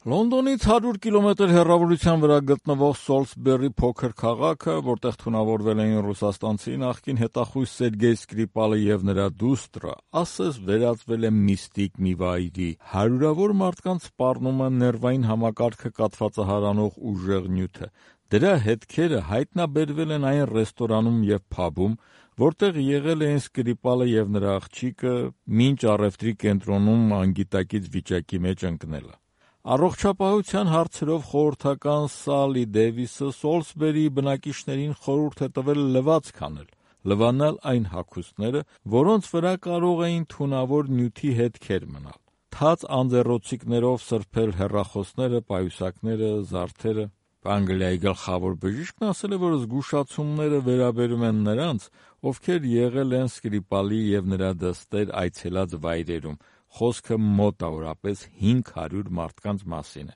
Լոնդոնից 100 կիլոմետր հեռավորության վրա գտնվող Սոլսբերի փոքր քաղաքը, որտեղ թունավորվել էին ռուսաստանցի նախկին հետախույզ Սերգեյ Սկրիպալը եւ նրա դուստրը, ասես վերածվել է միստիկ մի վայրի։ Հարյուրավոր մարդկանց սպառնում է ներվային համակարգը կաթվածահարանող ուժեղ նյութը։ Դրա հետքերը հայտնաբերվել են այն ռեստորանում եւ փաբում, որտեղ եղել էին Սկրիպալը եւ նրա աղջիկը, մինչ առևտրի կենտրոնում անգիտակից վիճակի մեջ ընկնելը։ Առողջապահության հարցերով խորհրդական Սալի Դեյվիսը Սոլսբերիի բնակիչներին խորհուրդ է տվել լվացք անել, լվանալ այն հագուստները, որոնց վրա կարող էին թունավոր նյութի հետքեր մնալ, թաց անձեռոցիկներով սրբել հեռախոսները, պայուսակները, զարդերը։ Անգլիայի գլխավոր բժիշկն ասել է, որ զգուշացումները վերաբերում են նրանց, ովքեր եղել են Սկրիպալի եւ նրա դստեր այցելած վայրերում։ Խոսքը մոտավորապես 500 մարդկանց մասին է։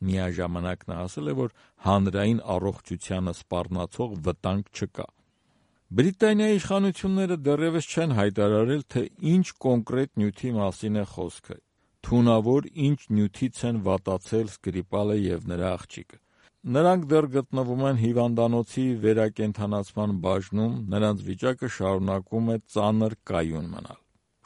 Միաժամանակ նա ասել է, որ հանրային առողջությանը սպառնացող վտանգ չկա։ Բրիտանիայի իշխանությունները դեռևս չեն հայտարարել, թե ինչ կոնկրետ նյութի մասին է խոսքը, թունավոր ինչ նյութից են վատացել Սկրիպալը եւ նրա աղջիկը։ Նրանք դեռ գտնվում են հիվանդանոցի վերակենդանացման բաժնում, նրանց վիճակը շարունակում է ծանր կայուն մնալ։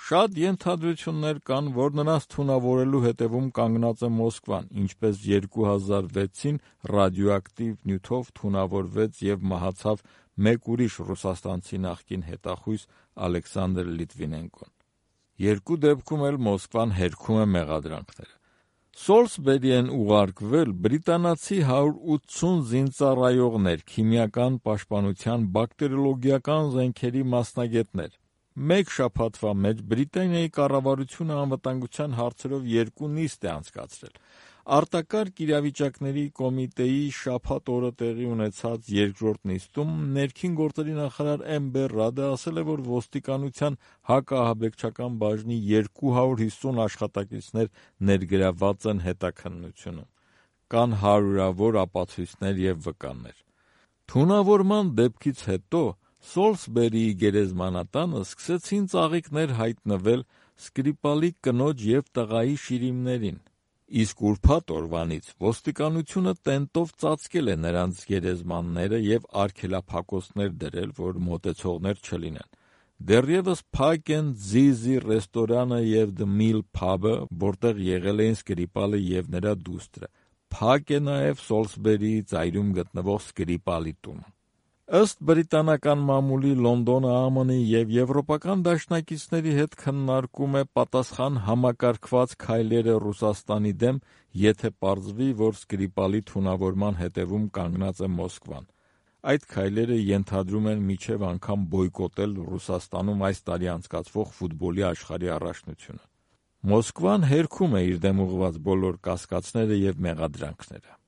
Շատ ենթադրություններ կան, որ նրանց թունավորելու հետևում կանգնած է Մոսկվան, ինչպես 2006-ին ռադիոակտիվ նյութով թունավորվեց եւ մահացավ մեկ ուրիշ ռուսաստանցի նախկին հետախույզ Ալեքսանդր Լիտվինենկոն։ Երկու դեպքում էլ Մոսկվան հերքում է մեղադրանքները։ Սոլսբերի են ուղարկվել բրիտանացի 180 զինծառայողներ, քիմիական պաշտպանության, բակտերիոլոգիական զենքերի մասնագետներ։ Մեկ շաբաթվա մեջ Բրիտանիայի կառավարությունը անվտանգության հարցերով 2 նիստ է անցկացրել։ Արտակարգ իրավիճակների կոմիտեի շաբաթ օրը տեղի ունեցած երկրորդ նիստում ներքին գործերի նախարար Էմբեր Ռադը ասել է, որ ոստիկանության հակաահաբեկչական բաժնի 250 աշխատակիցներ ներգրավված են հետաքննությունում։ Կան հարյուրավոր ապացույցներ եւ վկաններ։ Թունավորման դեպքից հետո Սոլսբերիի գերեզմանատանը սկսեցին ծաղիկներ հայտնվել Սկրիպալի կնոջ եւ տղայի շիրիմներին, իսկ ուրբաթ օրվանից ոստիկանությունը տենտով ծածկել է նրանց գերեզմանները եւ արգելափակոցներ դրել, որ մոտեցողներ չլինեն։ Դեռևս փակ են Զիզի ռեստորանը եւ The Mill Pub-ը, որտեղ եղել էին Սկրիպալը եւ նրա դուստրը։ Փակ է նաեւ Սոլսբերիի ծայրում գտնվող Սկրիպալի տունը։ Ըստ բրիտանական մամուլի Լոնդոնը ԱՄՆ-ի եւ եվրոպական դաշնակիցների հետ քննարկում է պատասխան համակարգված քայլերը Ռուսաստանի դեմ, եթե պարզվի, որ Սկրիպալի թունավորման հետևում կանգնած է Մոսկվան։ Այդ քայլերը ենթադրում են մինչև անգամ բոյկոտել Ռուսաստանում այս տարի անցկացվող ֆուտբոլի աշխարհի առաջնությունը։ Մոսկվան հերքում է իր դեմ ուղղված բոլոր կասկածները եւ մեղադրանքները։